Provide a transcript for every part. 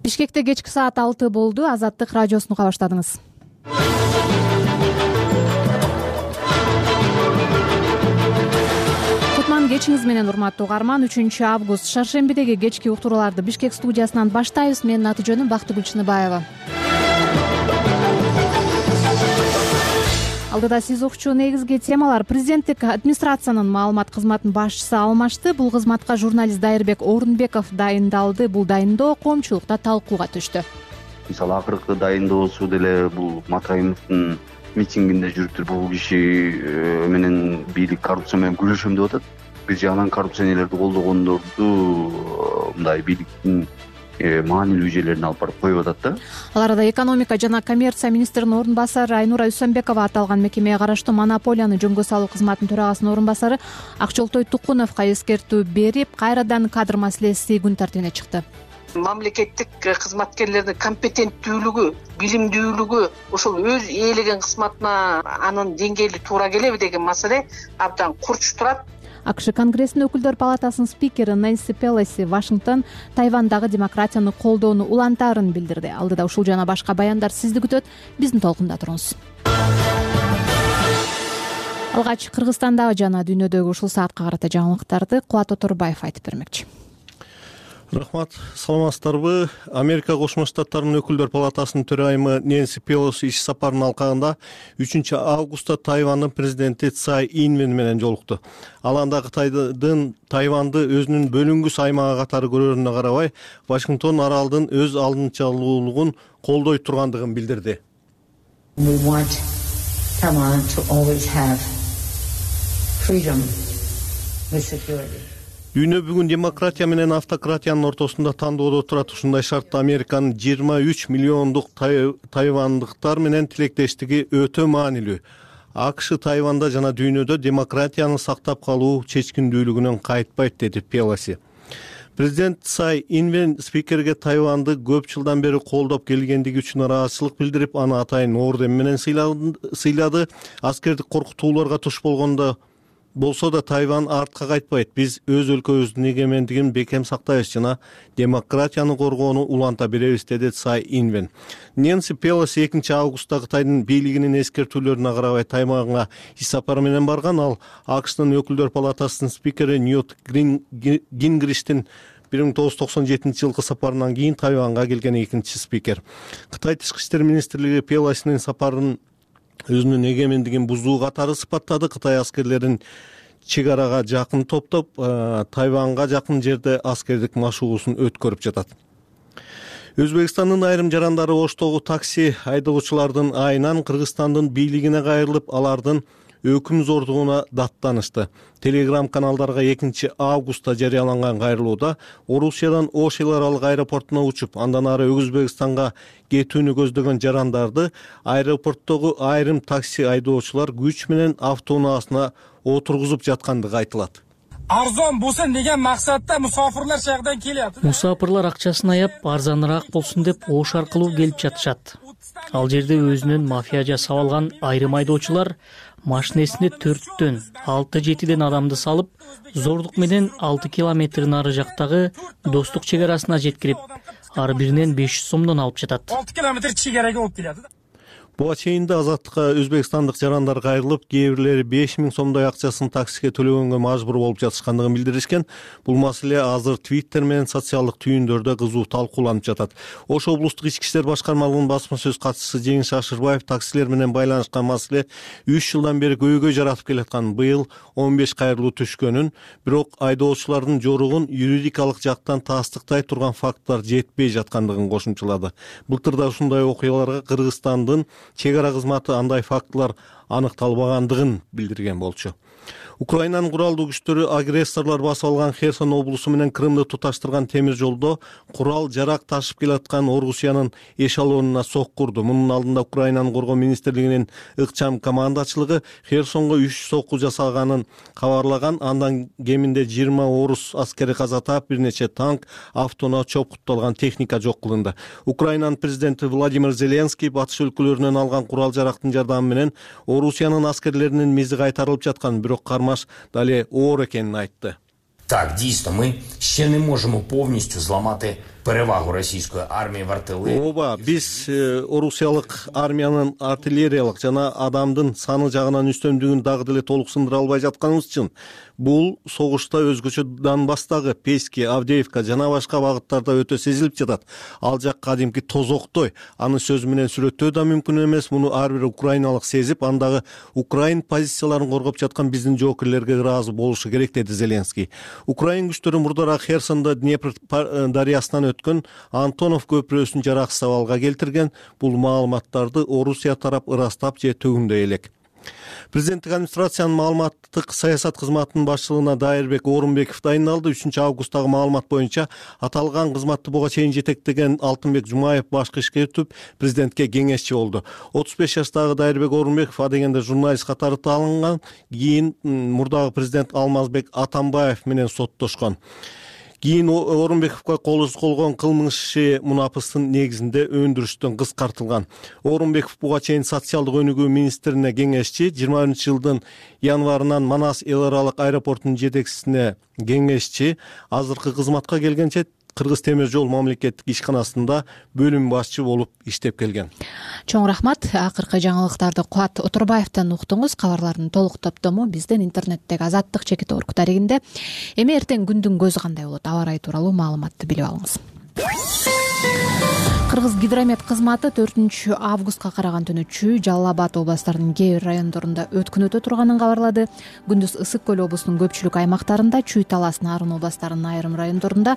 Бишкекте кечки саат 6 болду. Азаттык радиосун уга баштадыңыз. Кутман кечиңиз менен урматтуу угарман. 3-август шаршембидеги кечки уктурууларды Бишкек студиясынан баштайбыз. Менин аты-жөнүм Бактыгүл Чыныбаева. Алдыда сиз укчу негизги темалар. Президенттик администрациянын маалымат кызматынын башчысы алмашты. Бул кызматка журналист Дайырбек Орунбеков дайындалды. Бул дайындоо коомчулукта талкууга түштү. Мисалы акыркы дайындоосу деле бул Матаимовдун митингинде жүрүптүр. Бул киши менен бийлик коррупция менен күрөшөм деп атат. Бир жагынан коррупционерлерди колдогондорду мындай бийликтин маанилүү жерлерине алып барып коюп атат да. Ал арада экономика жана коммерция министринин орун басары Айнура Үсөнбекова аталган мекемеге караштуу монополияны жөнгө салуу кызматынын төрагасынын орун басары Акчолтой Тукуновго эскертүү берип, кайрадан кадр маселеси күн тартибине чыкты. Мамлекеттик кызматкерлердин компетенттүүлүгү, билимдүүлүгү ошол өз ээлеген кызматына анын деңгээли туура келеби деген маселе абдан курч турат. АКШ Конгрессинин өкүлдөр палатасынын спикери Нэнси Пелоси Вашингтон Тайвандагы демократияны колдоону улантаарын билдирди. Алдыда ушул жана башка баяндар сизди күтөт. Биздин толкунда туруңуз. Алгач Кыргызстандагы жана дүйнөдөгү ушул саатка карата жаңылыктарды Кубат Оторбаев айтып бермекчи. Рахмат, саламатсыздарбы? Америка Кошмо Штаттарынын өкүлдөр палатасынын төрайымы Нэнси Пелоси иш сапарынын алкагында 3-августта Тайвандын президенти Цай Инвен менен жолукту. Ал анда Кытайдын Тайванды өзүнүн бөлүнгүс аймагы катары көрөрүнө карабай, Вашингтон аралдын өз алдынчалуулугун колдой тургандыгын билдирди. We want Taiwan to always have freedom with security. Дүйнө бүгүн демократия менен автократиянын ортосунда тандоодо турат. Ушундай шартта Американын 23 миллиондук тайвандыктар менен тилектештиги өтө маанилүү. АКШ Тайванда жана дүйнөдө демократияны сактап калуу чечкиндүүлүгүнөн кайтпайт, деди Пелоси. Президент Цай Инвен спикерге Тайванды көп жылдан бери колдоп келгендиги үчүн ыраазычылык билдирип, аны атайын орден менен сыйлады. Аскердик коркутууларга туш болсо да Тайван артка кайтпайт. Биз өз өлкөбүздүн эгемендигин бекем сактайбыз жана демократияны коргоону уланта беребиз, деди Цай Инвен. Нэнси Пелоси 2-августта Кытайдын бийлигинин эскертүүлөрүнө карабай Тайванга иш сапары менен барган. Ал АКШтын өкүлдөр палатасынын спикери Ньют Гингриштин 1997 жылкы сапарынан кийин Тайванга келген экинчи спикер. Кытай тышкы иштер министрлиги Пелосинин сапарын өзүнүн эгемендигин бузуу катары сыпаттады. Кытай аскерлерин чек арага жакын топтоп, Тайванга жакын жерде аскердик машыгуусун өткөрүп жатат. Өзбекстандын айрым жарандары Оштогу такси айдоочулардын айынан Кыргызстандын бийлигине кайрылып, алардын өкүм зордугуна даттанышты. Телеграм каналдарга 2-августта жарыяланган кайрылууда Орусиядан Ош эл аралык аэропортуна учуп, андан ары Өзбекстанга кетүүнү көздөгөн жарандарды аэропорттогу айрым такси айдоочулар күч менен автоунаасына отургузуп жаткандыгы айтылат. Арзон болсун деген максатта мусафирлер жагдан келет. Мусафирлар акчасын аяп, арзаныраак болсун деп Ош аркылуу келип жатышат. Ал жерде өзүнүн мафия жасап алган айрым айдоочулар машинесине 4-төн 6-7ден адамды салып, зордук менен 6 километр нары жактагы Достук чек арасына жеткирип, ар биринен 500 сомдон алып жатат. 6 километр чегараga алып келет. Буга чейин да азаттыкка өзбекстандык жарандар кайрылып, кээ бирлери 5000 сомдой акчасын таксиге төлөгөнгө мажбур болуп жатышкандыгын билдиришкен. Бул маселе азыр Twitter менен социалдык түйүндөрдө кызуу талкууланып жатат. Ош облустук ички иштер башкармалыгынын басма сөз катчысы Жеңиш Шашырбаев таксилер менен байланышкан маселе 3 жылдан бери көйгөй жаратып келатканын, быйыл 15 кайрылуу түшкөнүн, бирок айдоочулардын жоругун юридикалык жактан тастыктай турган факттар жетпей жаткандыгын кошумчалады. Былтырда ушундай окуяларга Кыргызстандын чек ара кызматы андай фактылар аныкталбагандыгын билдирген болчу. Украинанын куралдуу күчтөрү агрессорлор басып алган Херсон облусу менен Крымды туташтырган темир жолдо курал жарак ташып келаткан Орусиянын эшелонуна соккурду. Мунун алдында Украинанын коргоо министрлигинин ыкчам командачылыгы Херсонго 3 сокку жасалганын кабарлаган. Андан кеминде 20 орус аскери каза таап, бир нече танк, автоунаа чопкутталган техника жок кылынды. Украинанын президенти Владимир Зеленский батыш өлкөлөрүнөн алган курал жарактын жардамы менен Орусиянын аскерлеринин мизи кайтарылып жаткан, бирок кармаш дале оор экенин айтты. Так, дійсно, ми ще не можемо повністю зламати перевагу российской армии в артиллерии. Ооба, биз орусиялык армиянын артиллериялык жана адамдын саны жагынан үстөмдүгүн дагы деле толук сындыра албай жатканыбыз үчүн бул согушта өзгөчө Донбасстагы Пески, Авдеевка жана башка багыттарда өтө сезилип жатат. Ал жак кадимки тозоктой. Анын сөзү менен сүрөттөө да мүмкүн эмес. Муну ар бир украиналык сезип, андагы украин позицияларын коргоп жаткан биздин жоокерлерге ыраазы болушу керек, деди Зеленский. Украин күчтөрү мурдараак Херсондо Днепр дарыясынан өткөн Антонов көпүрөсүн жараксыз абалга келтирген. Бул маалыматтарды Орусия тарап ырастап же төгүндөй элек. Президенттик администрациянын маалыматтык саясат кызматынын башчылыгына Дайырбек Орунбеков дайындалды. 3-августтагы маалымат боюнча аталган кызматты буга чейин жетектеген Алтынбек Жумаев башкы ишке өтүп, президентке кеңешчи болду. 35 жаштагы Дайырбек Орунбеков адегенде журналист катары таанылган, кийин мурдагы президент Алмазбек Атамбаев менен соттошкон. Кийин Орунбековго кол койгон кылмыш иши мунапыстын негизинде өндүрүштөн кыскартылган. Орунбеков буга чейин социалдык өнүгүү министрине кеңешчи, 20-жылдын январынан Манас эл аралык аэропортунун жетекчисине кеңешчи, азыркы кызматка келгенче Кыргыз темир жол мамлекеттик ишканасында бөлүм башчы болуп иштеп келген. Чоң рахмат. Акыркы жаңылыктарды Кубат Отурбаевден уктуңуз. Кабарлардын толук топтому биздин интернеттеги Азаттык чекит орг дарегинде. Эми эртең күндүн көзү кандай болот? Аба ырайы тууралуу маалыматты билип алыңыз. Кыргыз гидромет кызматы 4-августка караган түнү Чүй, Жалал Абад областарынын кээ бир райондорунда өткүн өтө турганын кабарлады. Күндүз Ысык көл облусунун көпчүлүк аймактарында, Чүй, Талас, Нарын областарынын айрым райондорунда,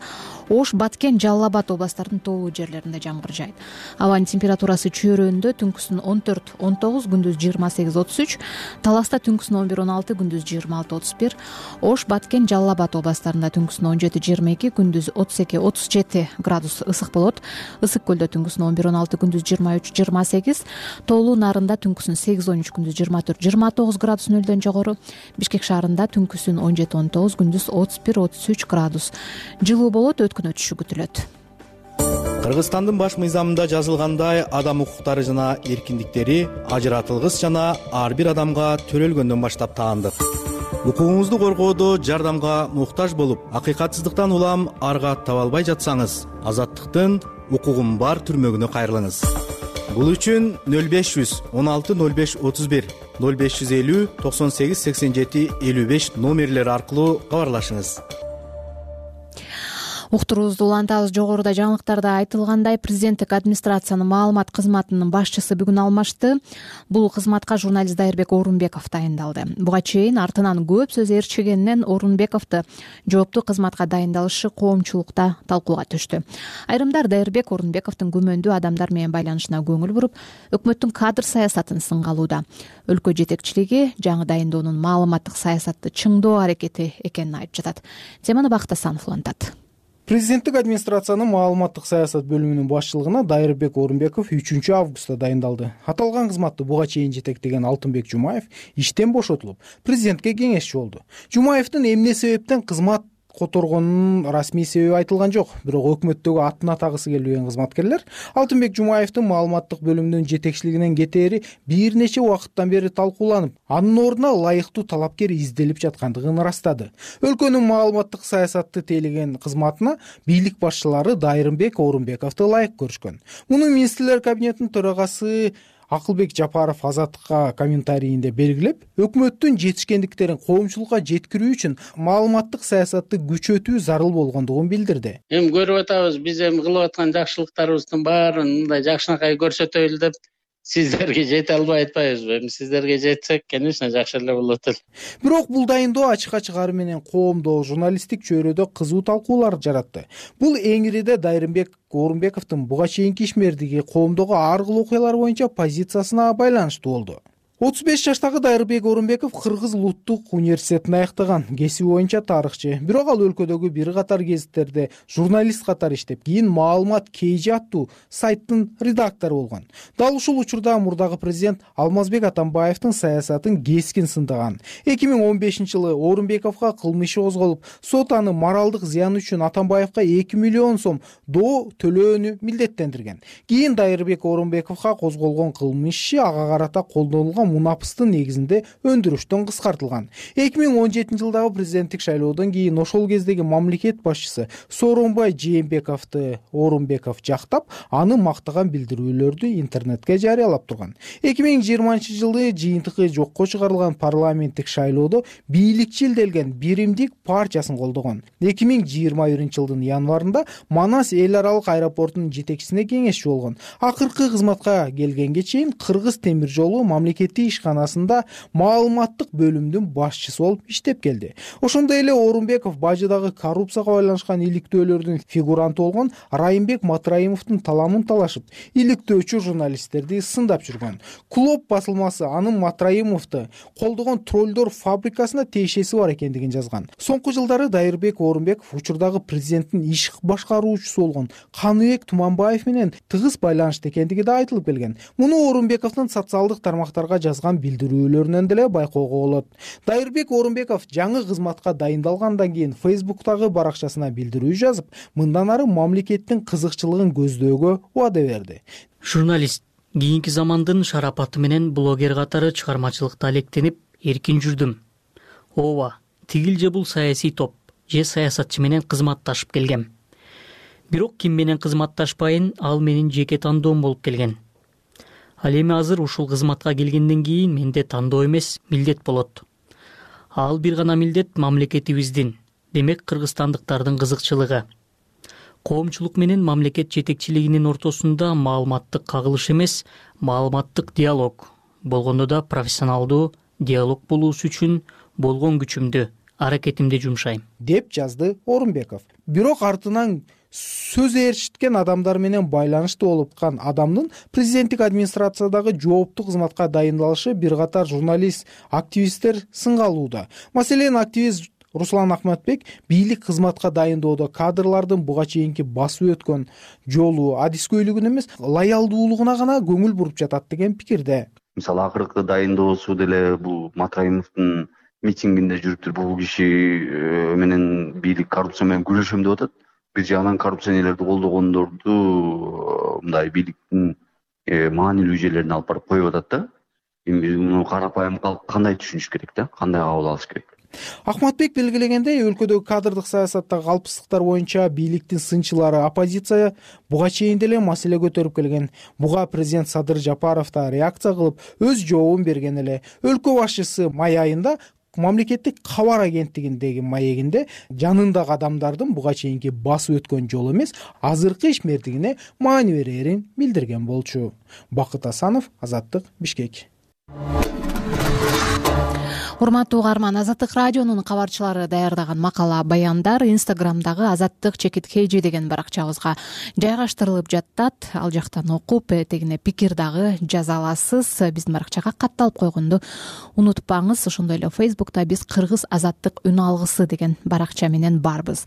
Ош, Баткен, Жалал Абад областарынын тоолуу жерлеринде жамгыр жаайт. Абанын температурасы чөйрөндө түнкүсүн 14-19, күндүз 28-33, Таласта түнкүсүн 11-16, күндүз 26-31, Ош, Баткен, Жалал Абад областарында түнкүсүн 17-22, күндүз 32-37 градус ысык болот. Ысык көлдө түнкүсүн 11-16, күндүз 23-28, тоолуу Нарында түнкүсүн 8-13, күндүз 24-29 градус нөлдөн жогору, Бишкек шаарында түнкүсүн 17-19, күндүз 31-33 градус жылуу болот, өткүн өтүшү күтүлөт. Кыргызстандын баш мыйзамында жазылгандай, адам укуктары жана эркиндиктери ажыратылгыс жана ар бир адамга төрөлгөндөн баштап таандык. Укугуңузду коргоодо жардамга муктаж болуп, акыйкатсыздыктан улам арга таба албай жатсаңыз, Азаттыктын укугум бар түрмөгүнө кайрылыңыз. Бул үчүн 0500 16 05 31 0550 98 87 55 номерлери аркылуу кабарлашыңыз. Уктуруубузду улантабыз. Жогоруда жаңылыктарда айтылгандай, президенттик администрациянын маалымат кызматынын башчысы бүгүн алмашты. Бул кызматка журналист Дайырбек Орунбеков дайындалды. Буга чейин артынан көп сөз ээрчигенинен Орунбековду жооптуу кызматка дайындалышы коомчулукта талкууга түштү. Айрымдар Дайырбек Орунбековдун күмөндүү адамдар менен байланышына көңүл буруп, өкмөттүн кадр саясатын сынга алууда. Өлкө жетекчилиги жаңы дайындоонун маалыматтык саясатты чыңдоо аракети экенин айтып жатат. Теманы Бакыт Асанов улантат. Президенттик администрациянын маалыматтык саясат бөлүмүнүн башчылыгына Дайырбек Орунбеков 3-августта дайындалды. Аталган кызматты буга чейин жетектеген Алтынбек Жумаев иштен бошотулуп, президентке кеңешчи болду. Жумаевдин эмне себептен кызмат которгонунун расмий себеби айтылган жок. Бирок өкмөттөгү атын атагысы келбеген кызматкерлер Алтынбек Жумаевдин маалыматтык бөлүмүнүн жетекчилигинен кетери бир нече убакыттан бери талкууланып, анын ордуна ылайыктуу талапкер изделип жаткандыгын ырастады. Өлкөнүн маалыматтык саясатты тейлеген кызматына бийлик башчылары Дайырбек Орунбековду ылайык көрүшкөн. Муну министрлер кабинетинин төрагасы Акылбек Жапаров Азаттыкка комментарийинде белгилеп, өкмөттүн жетишкендиктерин коомчулукка жеткирүү үчүн маалыматтык саясатты күчөтүү зарыл болгондугун билдирди. Эми көрүп атабыз, биз эми кылып аткан жакшылыктарыбыздын баарын мындай жакшынакай көрсөтөлү деп сиздерге жете албай атпайбызбы? Эми сиздерге жетсек, конечно, жакшы эле болот эле. Бирок бул дайындоо ачык ары менен коомдо журналисттик чөйрөдө кызуу талкуулар жаратты. Бул эңириде Дайырбек Орунбековдун буга чейинки ишмердиги, коомдогу ар кыл окуялар боюнча позициясына байланыштуу болду. 35 жаштагы Дайырбек Орунбеков Кыргыз Улуттук университетин аяктаган, кесиби боюнча тарыхчы. Бирок ал өлкөдөгү бир катар гезиттерде журналист катары иштеп, кийин маалымат KG аттуу сайттын редактору болгон. Дал ушул учурда мурдагы президент Алмазбек Атамбаевдин саясатын кескин сындаган. 2015-жылы Орунбековго кылмыш иши козголуп, сот аны моралдык зыян үчүн Атамбаевга 2 миллион сом доо төлөөнү милдеттендирген. Кийин Дайырбек Орунбековго козголгон кылмыш иши ага карата колдонулган мунапыстын негизинде өндүрүштөн кыскартылган. 2017-жылдагы президенттик шайлоодон кийин ошол кездеги мамлекет башчысы Сооронбай Жээнбековду Орунбеков жактап, аны мактаган билдирүүлөрдү интернетке жарыялап турган. 2020-жылы жыйынтыгы жокко чыгарылган парламенттик шайлоодо бийликчил делген биримдик партиясын колдогон. 2021-жылдын январында Манас эл аралык аэропортунун жетекчисине кеңешчи болгон. Акыркы кызматка келгенге чейин Кыргыз темир жолу мамлекеттик ишканасында маалыматтык бөлүмдүн башчысы болуп иштеп келди. Ошондой эле Орунбеков бажыдагы коррупцияга байланышкан иликтөөлөрдүн фигуранты болгон Райымбек Матраимовдун таламын талашып, иликтөөчү журналисттерди сындап жүргөн. Клоп басылмасы анын Матраимовду колдогон троллдор фабрикасына тиешеси бар экендигин жазган. Соңку жылдары Дайырбек Орунбеков учурдагы президенттин иш башкаруучусу болгон Каныбек Туманбаев менен тыгыз байланышта экендиги да айтылып келген. Муну Орунбековдун социалдык тармактарга жазган билдирүүлөрүнөн деле байкоого болот. Дайырбек Орунбеков жаңы кызматка дайындалгандан кийин Facebook'тагы баракчасына билдирүү жазып, мындан ары мамлекеттин кызыкчылыгын көздөөгө убада берди. Журналист кийинки замандын шарапаты менен блогер катары чыгармачылыкта алектенип эркин жүрдүм. Ооба, тигил же бул саясий топ же саясатчы менен кызматташып келгем. Бирок ким менен кызматташпайын, ал менин жеке тандоом болуп келген. Ал эми азыр ушул кызматка келгенден кийин менде тандоо эмес, милдет болот. Ал бир гана милдет мамлекетибиздин, демек кыргызстандыктардын кызыкчылыгы. Коомчулук менен мамлекет жетекчилигинин ортосунда маалыматтык кагылыш эмес, маалыматтык диалог. Болгондо да профессионалдуу диалог болуусу үчүн болгон күчүмдү, аракетимди жумшайм, деп жазды Орунбеков. Бирок артынан сөз ээрчиткен адамдар менен байланышты болуп аткан адамдын президенттик администрациядагы жооптуу кызматка дайындалышы бир катар журналист, активисттер сынга алууда. Маселен, активист Руслан Ахматбек бийлик кызматка дайындоодо кадрлардын буга чейинки басып өткөн жолу, адискөйлүгүнө эмес, лоялдуулугуна гана көңүл буруп жатат деген пикирде. Мисалы, акыркы дайындоосу деле бул Матраимовдун митингинде жүрүптүр. Бул киши менен бийлик коррупция менен күрөшөм деп атат. Бир жагынан коррупционерлерди колдогондорду мындай бийликтин маанилүү жерлерине алып барып коюп атат да. Эми муну карапайым калк кандай түшүнүш керек да? Кандай кабыл алыш керек? Ахматбек белгилегендей, өлкөдөгү кадрдык саясаттагы калпсыздыктар боюнча бийликтин сынчылары, оппозиция буга чейин деле маселе көтөрүп келген. Буга президент Садыр Жапаров да реакция кылып, өз жообун берген эле. Өлкө башчысы май айында мамлекеттик кабар агенттигиндеги маегинде жанындагы адамдардын буга чейинки басып өткөн жолу эмес, азыркы ишмердигине маани берерин билдирген болчу. Бакыт Асанов, Азаттык, Бишкек. Урматтуу угарман, Азаттык радионун кабарчылары даярдаган макала баяндар Инстаграмдагы Азаттык ЧКТ деген баракчабызга жайгаштырылып жатат. Ал жактан окуп, этегине пикир дагы жаза аласыз. Биздин баракчага катталып койгонду унутпаңыз. Ошондой эле Facebook'та биз Кыргыз азаттык үн алгысы деген баракча менен барбыз.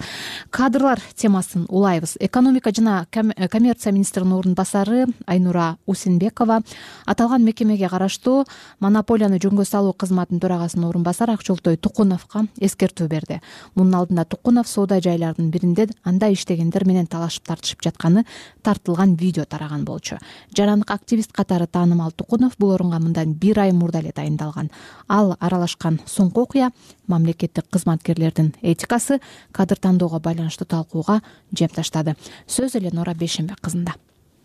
Кадрлар темасын улайбыз. Экономика жана коммерция министринин орун басары Айнура Усенбекова аталган мекемеге караштуу монополияны жөнгө салуу кызматынын төрагасынын орун басары Акчолтой Тукуновго эскертүү берди. Мунун алдында Тукунов соода жайлардын биринде анда иштегендер менен талашып тартышып жатканы тартылган видео тараган болчу. Жарандык активист катары таанымал Тукунов бул орунга мындан 1 ай мурда эле дайындалган. Ал аралашкан соңку окуя мамлекеттик кызматкерлердин этикасы кадр тандоого байланыштуу талкууга жем таштады. Сөз эле Нора Бейшембек кызында.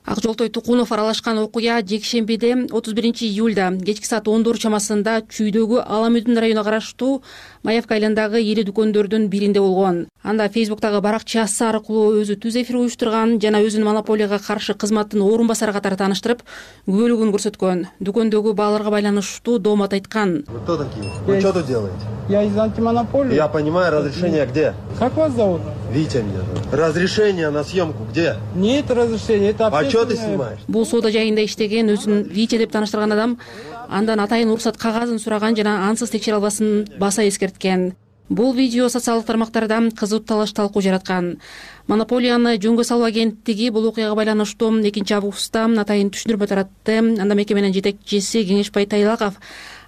Акжолтой Тукунов аралашкан окуя жекшембиде 31 июлда кечки саат 10 чамасында Чүйдөгү Аламүдүн районуна караштуу Маевка айландагы ири дүкөндөрдүн биринде болгон. Анда Facebook'тагы баракчасы аркылуу өзү түз эфир уюштурган жана өзүнүн монополияга каршы кызматтын орун басары катары тааныштырып, күбөлүгүн көрсөткөн. Дүкөндөгү бааларга байланыштуу доомат айткан. Вы кто такие? Вы что тут делаете? Я из антимонополии. Я понимаю, разрешение где? Как вас зовут? Витя меня зовут. Разрешение на съемку где? Нет разрешения, это А что ты снимаешь? Бул соода жайында иштеген, өзүн Витя деп тааныштырган адам андан атайын уруксат кагазын сураган жана ансыз текшере албасын баса эскерткен. Бул видео социалдык тармактарда кызуу талаш талкуу жараткан. Монополияны жөнгө салуу агенттиги бул окуяга байланыштуу 2 августта атайын түшүндүрмө таратты. Анда мекеменин жетекчиси Кеңешбай Тайлаков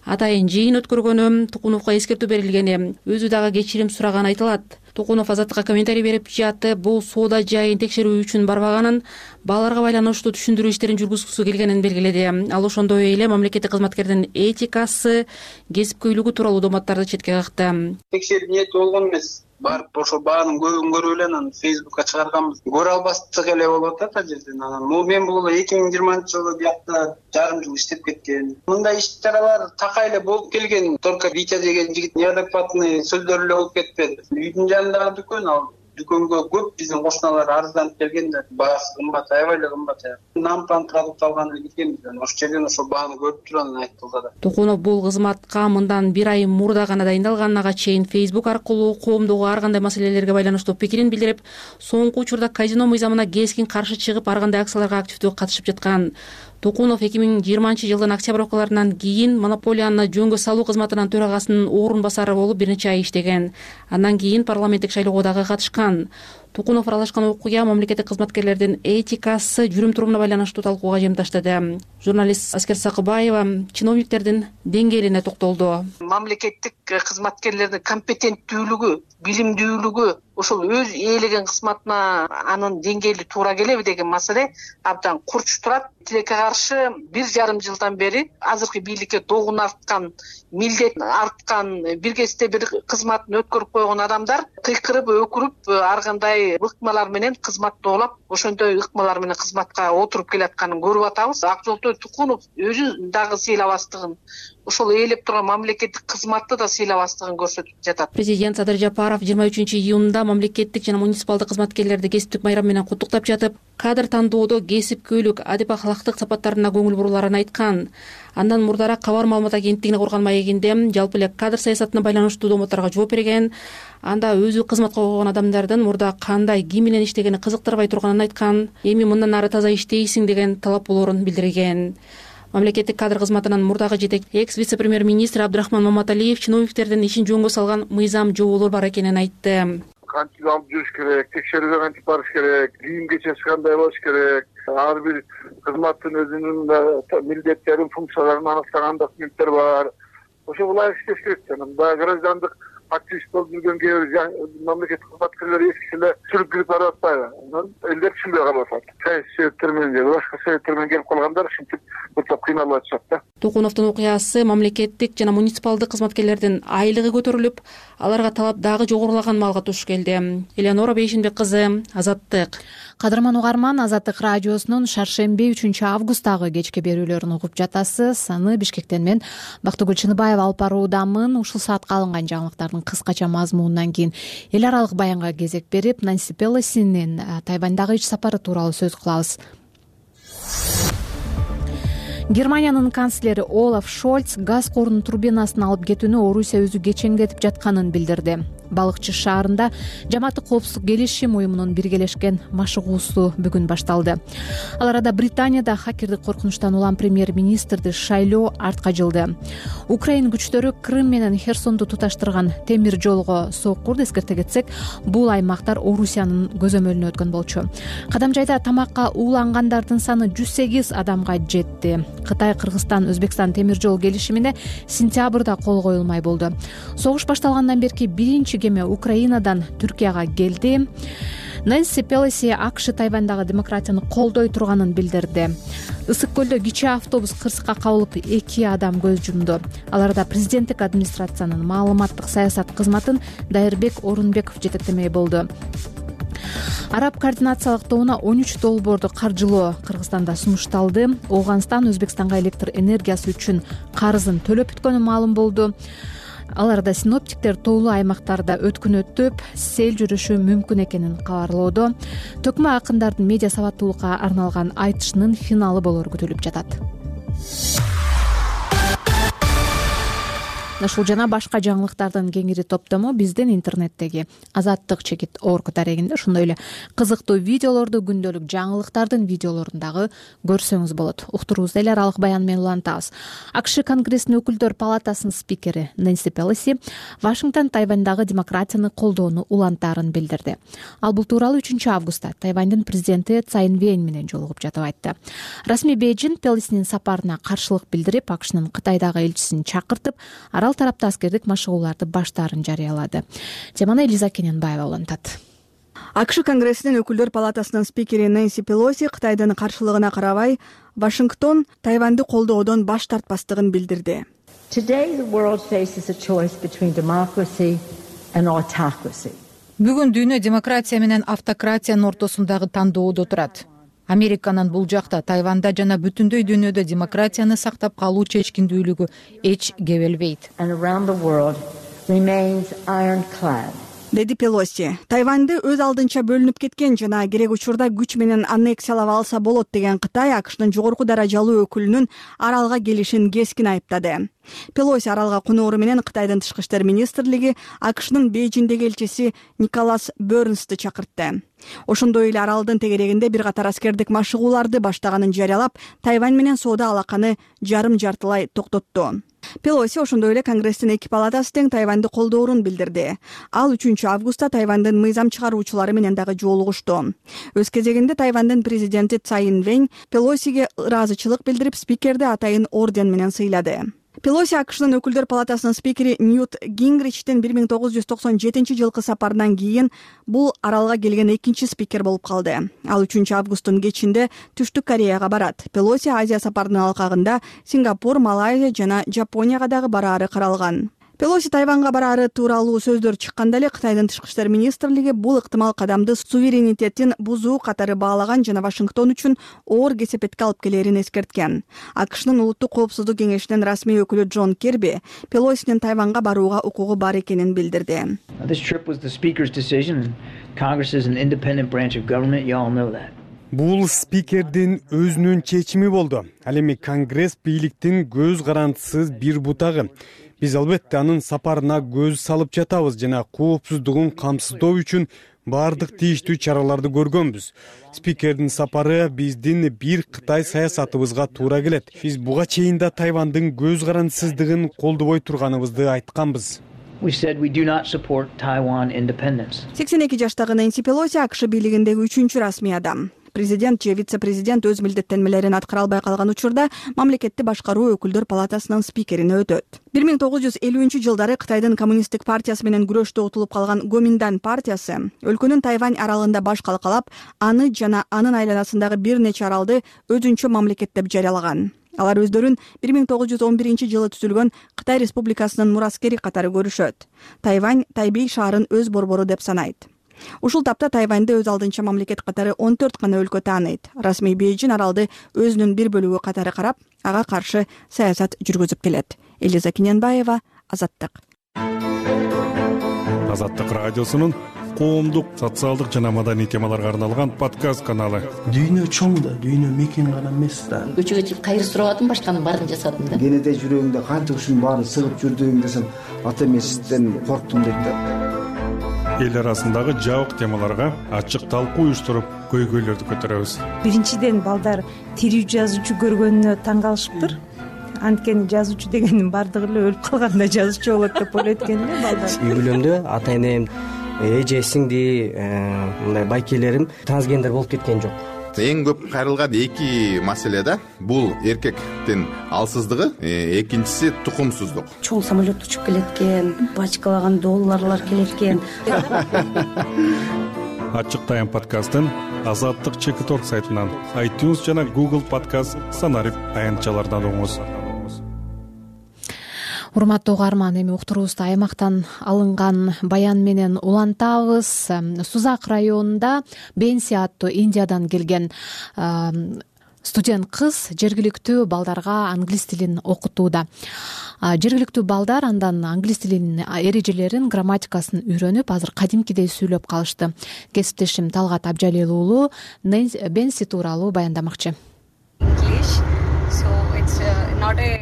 атайын жыйын өткөргөнү, Тукуновго эскертүү берилгени, өзү дагы кечирим сураганы айтылат. Тукунов Азаттыкка комментарий берип жатып, бул соода жайын текшерүү үчүн барбаганын, балдарга байланыштуу түшүндүрүү иштерин жүргүзгүсү келгенин белгиледи. Ал ошондой эле мамлекеттик кызматкердин этикасы, кесипкөйлүгү тууралуу дооматтарды четке какты. Текшерүү ниети болгон эмес. Барып ошо баанын көбүн көрүп эле анан Facebookка чыгарганбыз. Көрө албастык эле болуп атат ал жерден. Анан мен бул 2020-жылы биякта жарым жыл иштеп кеткен. Мындай иш-чаралар такай эле болуп келген. Только Витя деген жигит неадекватный сөздөр эле болуп кетпеди. Үйдүн жанындагы дүкөн, ал дүкөнгө көп биздин кошуналар арызданып келгендер. Баасы кымбат, аябай эле кымбат. Нампан продукт алган эле келгенбиз. Ошол жерден ошо бааны көрүп туруп анан айтылды да. Тукунов бул кызматка мындан 1 ай мурда гана дайындалган, ага чейин Facebook аркылуу коомдогу ар кандай маселелерге байланыштуу пикирин билдирип, соңку учурда казино мыйзамына кескин каршы чыгып, ар кандай акцияларга активдүү катышып жаткан. Тукунов 2020-жылдын октябрь кийин монополияны жөнгө салуу кызматынын төрагасынын орун басары болуп бир нече ай иштеген. Андан кийин парламенттик шайлоого дагы катышкан. Тукунов аралашкан окуя мамлекеттик кызматкерлердин этикасы, жүрүм-турумуна байланыштуу талкууга жемдаштады. Журналист Аскер Сакыбаева чиновниктердин деңгээлине токтолду. Мамлекеттик кызматкерлердин компетенттүүлүгү, билимдүүлүгү, ошол өз ээлеген кызматына анын деңгээли туура келеби деген маселе абдан курч турат. Тилекке каршы 1,5 жылдан бери азыркы бийликке догун арткан, милдет арткан, бир кезде бир кызматын өткөрүп койгон адамдар кыйкырып, өкүрүп, ар кандай ыкмалар менен кызмат тоолап, ошондой ыкмалар менен кызматка отуруп келатканын көрүп атабыз. Акжолтой Тукунов өзү дагы сыйлабастыгын, ошол ээлеп турган мамлекеттик кызматты да сыйлабастыгын көрсөтүп жатат. Президент Садыр Жапаров 23-июнда мамлекеттик жана муниципалдык кызматкерлерди кесиптик байрам менен куттуктап жатып, кадр тандоодо кесипкөйлүк, адеп ахлактык сапаттарына көңүл буруларын айткан. Андан мурдараак Кабар маалымат агенттигине курган маегинде жалпы эле кадр саясатына байланыштуу дооматтарга жооп берген. Анда өзү кызматка койгон адамдардын мурда кандай, ким менен иштегени кызыктырбай турганын айткан. Эми мындан ары таза иштейсиң деген талап болоорун билдирген. Мамлекеттик кадр кызматынын мурдагы жетекчи экс-вице-премьер-министр Абдрахман Маматалиев чиновниктердин ишин жөнгө салган мыйзам жоболор бар экенин айтты. Кантип алып жүрүш керек, текшерүүгө кантип барыш керек, кийим кечеси кандай болуш керек, ар бир кызматтын өзүнүн милдеттерин, функцияларын аныктаган документтер бар. Ошого ылайык иштеш керек. Анан баягы граждандык активист болуп жүргөн кээ бир мамлекеттик кызматкерлер эскисе эле сүрүп кирип барып атпайбы? Анан элдер түшүнбөй калып атат. Саясий себептер менен же башка себептер менен келип калгандар ушинтип бутап кыйналып атышат да. Тукуновдун окуясы мамлекеттик жана муниципалдык кызматкерлердин айлыгы көтөрүлүп, аларга талап дагы жогорулаган маалга туш келди. Элеонора Бейшенбек кызы, Азаттык. Кадырман угарман, Азаттык радиосунун шаршемби 3-августтагы кечки берүүлөрүн угуп жатасыз. Аны Бишкектен мен Бактыгүл Чыныбаева алып баруудамын. Ушул саатка алынган жаңылыктардын кыскача мазмунунан кийин эл аралык баянга кезек берип, Нанси Пелосинин Тайвандагы ич сапары тууралуу сөз кылабыз. Германиянын канцлери Олаф Шольц газ корунун турбинасын алып кетүүнү Орусия өзү кечеңдетип жатканын билдирди. Балыкчы шаарында Жамааттык коопсуздук келишим уюмунун биргелешкен машыгуусу бүгүн башталды. Ал арада Британияда хакердик коркунучтан улам премьер-министрди шайлоо артка жылды. Украин күчтөрү Крым менен Херсонду туташтырган темир жолго соок курду. Эскерте кетсек, бул аймактар Орусиянын көзөмөлүнө өткөн болчу. Кадамжайда тамакка уулангандардын саны 108 адамга жетти. Кытай, Кыргызстан, Өзбекстан темир жол келишимине сентябрда кол коюлмай болду. Согуш башталгандан берки биринчи кеме Украинадан Түркияга келди. Нэнси Пелоси АКШ Тайвандагы демократияны колдой турганын билдирди. Ысык көлдө кичи автобус кырсыкка кабылып 2 адам көз жумду. Аларда президенттик администрациянын маалыматтык саясат кызматын Дайырбек Орунбеков жетектемей болду. Араб координациялык тобуна 13 долбоорду каржылоо Кыргызстанда сунушталды. Ооганстан Өзбекстанга электр энергиясы үчүн карызын төлөп бүткөнү маалым болду. Аларда синоптиктер тоолуу аймактарда өткүнөтүп, сел жүрүшү мүмкүн экенин кабарлоодо. Төкмө акындардын медиа сабаттуулукка арналган айтышынын финалы болору күтүлүп жатат. Ушул жана башка жаңылыктардын кеңири топтому биздин интернеттеги Азаттык.org дарегинде, ошондой эле кызыктуу видеолорду, күндөлүк жаңылыктардын видеолорун дагы көрсөңүз болот. Уктуруубузду эл аралык баян менен улантабыз. АКШ Конгрессинин өкүлдөр палатасынын спикери Нэнси Пелоси Вашингтон Тайвандагы демократияны колдоону улантаарын билдирди. Ал бул тууралуу 3-августта Тайвандын президенти Цай Инвэнь менен жолугуп жатып айтты. Расмий Бейжин Пелосинин сапарына каршылык билдирип, АКШнын Кытайдагы элчисин чакыртып, арал ал тарапта аскердик машыгууларды баштаарын жарыялады. Теманы Элиза Кененбаева улантат. АКШ Конгрессинин өкүлдөр палатасынын спикери Нэнси Пелоси Кытайдын каршылыгына карабай, Вашингтон Тайваньды колдоодон баш тартпастыгын билдирди. Бүгүн дүйнө демократия менен автократиянын ортосундагы тандоодо турат. Американын бул жакта Тайванда жана бүтүндөй дүйнөдө демократияны сактап калуу чечкиндүүлүгү эч кебелбейт. Деди Пелоси. Тайваньды өз алдынча бөлүнүп кеткен жана керек учурда күч менен аннексиялап алса болот деген Кытай АКШнын жогорку даражалуу өкүлүнүн аралга келишин кескин айыптады. Пелоси аралга коноору менен Кытайдын тышкы иштер министрлиги АКШнын Бейжиңдеги элчиси Николас Бернсти чакыртты. Ошондой эле аралдын тегерегинде бир катар аскердик машыгууларды баштаганын жарыялап, Тайвань менен соода алаканы жарым-жартылай токтотту. Пелоси ошондой эле Конгресстин эки палатасы тең Тайваньды колдоорун билдирди. Ал 3-августта Тайвандын мыйзам чыгаруучулары менен дагы жолугушту. Өз кезегинде Тайвандын президенти Цай Инвэнь Пелосиге ыраазычылык билдирип, спикерди атайын орден менен сыйлады. Пелоси АКШнын өкүлдөр палатасынын спикери Ньют Гингричтин 1997 сапарынан кийин бул аралга келген экинчи спикер болуп калды. Ал 3-августтун кечинде Түштүк Кореяга барат. Пелоси Азия сапарынын алкагында Сингапур, Малайзия жана Жапонияга дагы бараары каралган. Пелоси Тайванга бараары тууралуу сөздөр чыкканда эле Кытайдын тышкы иштер министрлиги бул ыктымал кадамды суверенитетин бузуу катары баалаган жана Вашингтон үчүн оор кесепетке алып келерин эскерткен. АКШнын улуттук коопсуздук кеңешинин расмий өкүлү Джон Кирби Пелосинин Тайванга барууга укугу бар экенин билдирди. Бул спикердин өзүнүн чечими болду. Ал эми Конгресс бийликтин көз карандысыз бир бутагы. Биз албетте анын сапарына көз салып жатабыз жана коопсуздугун камсыздоо үчүн бардык тийиштүү чараларды көргөнбүз. Спикердин сапары биздин бир Кытай саясатыбызга туура келет. Биз буга чейин да Тайвандын көз карандысыздыгын колдобой турганыбызды айтканбыз. 82 жаштагы Нэнси Пелоси АКШ бийлигиндеги 3-чү расмий адам. Президент же вице-президент өз милдеттенмелерин аткара албай калган учурда мамлекетти башкаруу өкүлдөр палатасынын спикерине өтөт. 1950-жылдары Кытайдын коммунисттик партиясы менен күрөштө утулуп калган Гоминдан партиясы өлкөнүн Тайвань аралында баш калкалап, аны жана анын айланасындагы бир нече аралды өзүнчө мамлекет деп жарыялаган. Алар өздөрүн 1911-жылы түзүлгөн Кытай Республикасынын мураскери катары көрүшөт. Тайвань Тайбей шаарын өз борбору деп санайт. Ушул тапта Тайваньды өз алдынча мамлекет катары 14 гана өлкө тааныйт. Расмий Бейжиң аралды өзүнүн бир бөлүгү катары карап, ага каршы саясат жүргүзүп келет. Элиза Кененбаева, Азаттык. Азаттык радиосунун коомдук, социалдык жана маданий темаларга арналган подкаст каналы. Дүйнө чоң да, дүйнө мекен гана эмес да. Көчөгө чыгып кайыр сурабадым, башканын баарын жасадым да. Кенете жүрөгүңдө кантип ушунун баарын сыгып жүрдүң десем, ата эмесизден корктум дейт да. Эл арасындагы жабык темаларга ачык талкуу уюштуруп, көйгөйлөрдү көтөрөбүз. Биринчиден балдар тирүү жазуучу көргөнүнө таң калышыптыр. Анткени жазуучу дегенин бардыгы эле өлүп калганда жазуучу болот деп ойлойт экен эле балдар. Үй бүлөмдө ата энем, эже, сиңди, мындай байкелерим трансгендер болуп кеткен жок. Эң көп кайрылган эки маселе да. Бул эркектин алсыздыгы, экинчиси тукумсуздук. Чоң самолет учуп келет экен, бачкалаган долларлар келет экен. Ачык тайм подкастын Азаттык ЧК сайтынан, iTunes жана Google подкаст санарип аянтчалардан угуңуз. Урматтуу угарман, эми уктуруубузду аймактан алынган баян менен улантабыз. Сузак районунда Бенси аттуу Индиядан келген студент кыз жергиликтүү балдарга англис тилин окутууда. Жергиликтүү балдар андан англис тилинин эрежелерин, грамматикасын үйрөнүп, азыр кадимкидей сүйлөп калышты. Кесиптешим Талгат Абжалил уулу Бенси тууралуу баяндамакчы.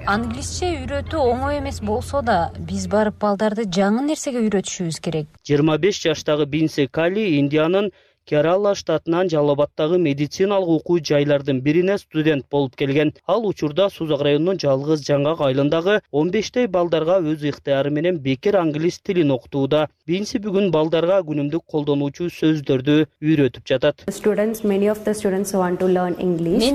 Англисче үйрөтүү оңой эмес болсо да, биз барып балдарды жаңы нерсеге үйрөтүшүбүз керек. 25 жаштагы Бенси Кали Индиянын Керала штатынан Жалалабадтагы медициналык окуу жайлардын бирине студент болуп келген. Ал учурда Сузак районунун жалгыз Жаңгак айылындагы 15 балдарга өз ыктыяры менен бекер англис тилин окутууда. Бенси бүгүн балдарга күнүмдүк колдонуучу сөздөрдү үйрөтүп жатат. Мен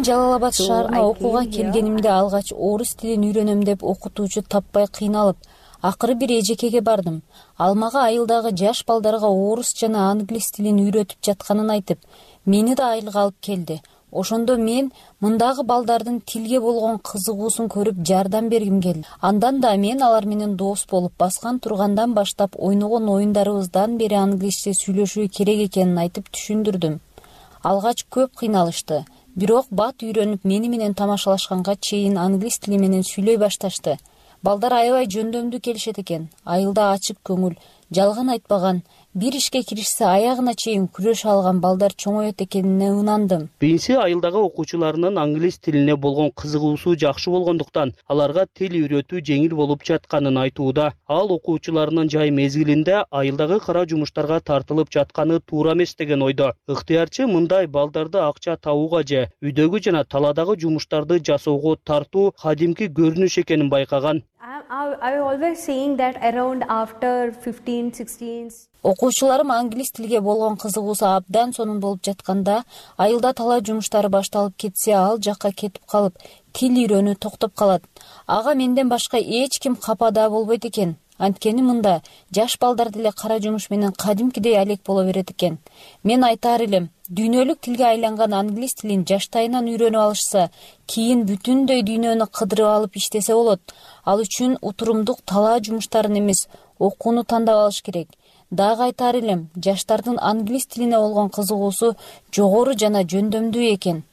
Жалалабад шаарына окууга келгенимде алгач орус тилин үйрөнөм деп окутуучу таппай кыйналып, Акыры бир эжекеге бардым. Ал мага айылдагы жаш балдарга орус жана англис тилин үйрөтүп жатканын айтып, мени да айылга алып келди. Ошондо мен мындагы балдардын тилге болгон кызыгуусун көрүп жардам бергим келди. Андан да мен алар менен дос болуп баскан тургандан баштап ойногон оюндарыбыздан бери англисче сүйлөшүү керек экенин айтып түшүндүрдүм. Алгач көп кыйналышты. Бирок бат үйрөнүп мени менен тамашалашканга чейин англис тили менен сүйлөй башташты. Балдар аябай жөндөмдүү келишет экен. Айылда ачык көңүл, жалган айтпаган, бир ишке киришсе аягына чейин күрөшө алган балдар чоңоет экенине ынандым. Бинси айылдагы окуучуларынын англис тилине болгон кызыгуусу жакшы болгондуктан аларга тил үйрөтүү жеңил болуп жатканын айтууда. Ал окуучуларынын жай мезгилинде айылдагы кара жумуштарга тартылып жатканы туура эмес деген ойдо. Ыктыярчы мындай балдарды акча табууга же үйдөгү жана таладагы жумуштарды жасоого тартуу кадимки көрүнүш экенин байкаган. Окуучуларым англис тилге болгон кызыгуусу абдан сонун болуп жатканда, айылда талаа жумуштары башталып кетсе, ал жакка кетип калып, тил үйрөнүү токтоп калат. Ага менден башка эч ким капа да болбойт экен. Анткени мында жаш балдар деле кара жумуш менен кадимкидей алек боло берет экен. Мен айтаар элем, дүйнөлүк тилге айланган англис тилин жаштайынан үйрөнүп алышса, кийин бүтүндөй дүйнөнү кыдырып алып иштесе болот. Ал үчүн утурумдук талаа жумуштарын эмес, окууну тандап алыш керек. Дагы айтаар элем, жаштардын англис тилине болгон кызыгуусу жогору жана жөндөмдүү экен.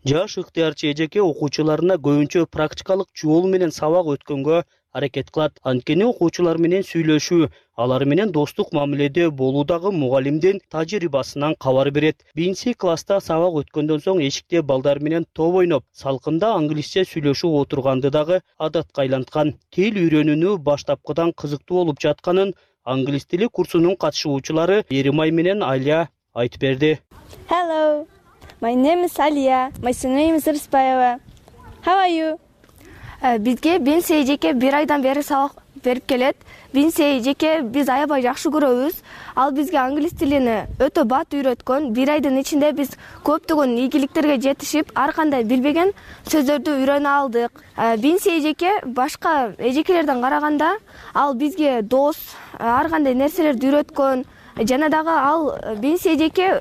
Жаш ыктыярчы эжеке окуучуларына көбүнчө практикалык жол менен сабак өткөнгө аракет кылат. Анткени окуучулар менен сүйлөшүү, алар менен достук мамиледе болуудагы мугалимдин тажрыйбасынан кабар берет. Бинси класста сабак өткөндөн соң эшикте балдар менен топ ойноп, салкында англисче сүйлөшүп отурганды дагы адатка айланткан. Тил үйрөнүүнү баштапкыдан кызыктуу болуп жатканын англис тили курсунун катышуучулары Эримай менен Алия айтып берди. Hello, my name is Alia. My surname is Rıspayeva. How are you? Бизге Бинси эжеке бир айдан бери сабак берип келет. Бинси эжеке биз аябай жакшы көрөбүз. Ал бизге англис тилини өтө бат үйрөткөн. Бир айдын ичинде биз көптөгөн ийгиликтерге жетишип, ар кандай билбеген сөздөрдү үйрөнө алдык. Бинси эжеке башка эжекелерден караганда ал бизге дос, ар кандай нерселерди үйрөткөн. Жана дагы ал Бинси эжеке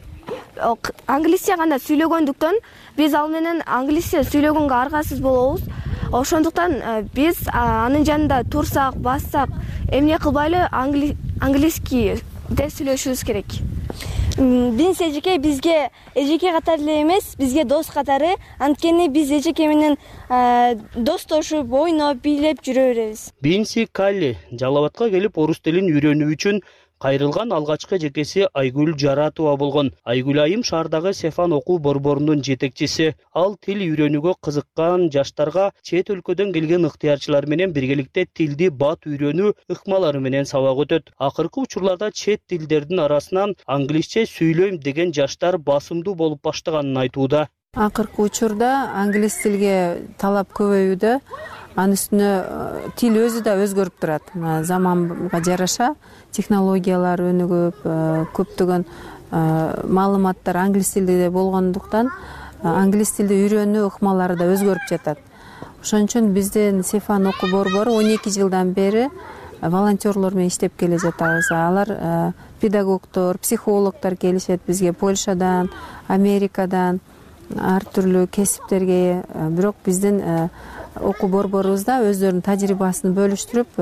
англисче гана сүйлөгөндүктөн биз ал менен англисче сүйлөгөнгө аргасыз болобуз. Ошондуктан биз анын жанында турсак, бассак, эмне кылбайлы английский деп сүйлөшүбүз керек. Бинси эжеке бизге эжеке катары эле эмес, бизге дос катары. Анткени биз эжеке менен достошуп, ойноп, бийлеп жүрө беребиз. Бинси Калли Жалал Абадка келип орус тилин үйрөнүү үчүн кайрылган алгачкы эжекеси Айгүл Жаратова болгон. Айгүл айым шаардагы Сефан окуу борборунун жетекчиси. Ал тил үйрөнүүгө кызыккан жаштарга чет өлкөдөн келген ыктыярчылар менен биргеликте тилди бат үйрөнүү ыкмалары менен сабак өтөт. Акыркы учурларда чет тилдердин арасынан англисче сүйлөйм деген жаштар басымдуу болуп баштаганын айтууда. Акыркы учурда англис тилге талап көбөйүүдө. Анын үстүнө тил өзү да өзгөрүп турат. Заманга жараша технологиялар өнүгүп, көптөгөн маалыматтар англис тилде болгондуктан англис тилди үйрөнүү ыкмалары да өзгөрүп жатат. Ошон үчүн биздин Сефан окуу борбору 12 жылдан бери волонтерлор менен иштеп келе жатабыз. Алар педагогдор, психологдор келишет бизге Польшадан, Америкадан, ар түрлүү кесиптерге. Бирок биздин окуу борборубузда өздөрүнүн тажрыйбасын бөлүштүрүп,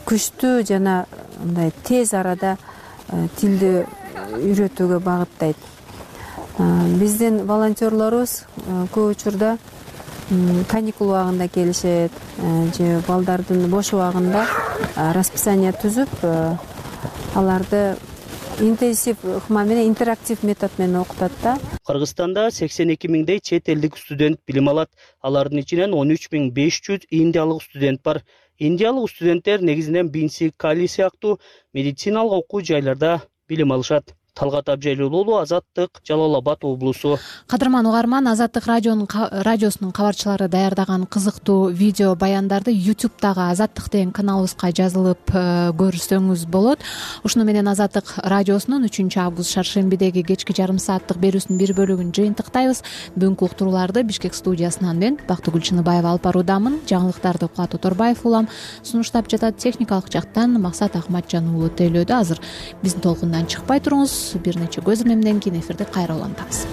күчтүү жана мындай тез арада тилди үйрөтүүгө багыттайт. Биздин волонтерлорубуз көп учурда каникул убагында келишет, же балдардын бош убагында расписание түзүп, аларды интенсив ыкма менен, интерактив метод менен окутат да. Кыргызстанда 82 миңдей чет элдик студент билим алат. Алардын ичинен 13.500 индиялык студент бар. Индиялык студенттер негизинен Бинси Калли сыяктуу медициналык окуу жайларда билим алышат. Талгат Абжалил уулу, Азаттык, Жалал Абад облусу. Кадырман угарман, Азаттык радиосунун кабарчылары даярдаган кызыктуу видео баяндарды YouTube'дагы Азаттык деген каналыбызга жазылып көрсөңүз болот. Ушуну менен Азаттык радиосунун 3-август шаршембидеги кечки жарым сааттык берүүсүнүн бир бөлүгүн жыйынтыктайбыз. Бүгүнкү уктурууларды Бишкек студиясынан мен Бактыгүл Чыныбаева алып баруудамын. Жаңылыктарды Кубат Оторбаев улам сунуштап жатат. Техникалык жактан Максат Акматжан уулу тейлөөдө. Азыр биздин толкундан чыкпай туруңуз. Бир нече көз ирмемден кийин эфирди кайра улантабыз.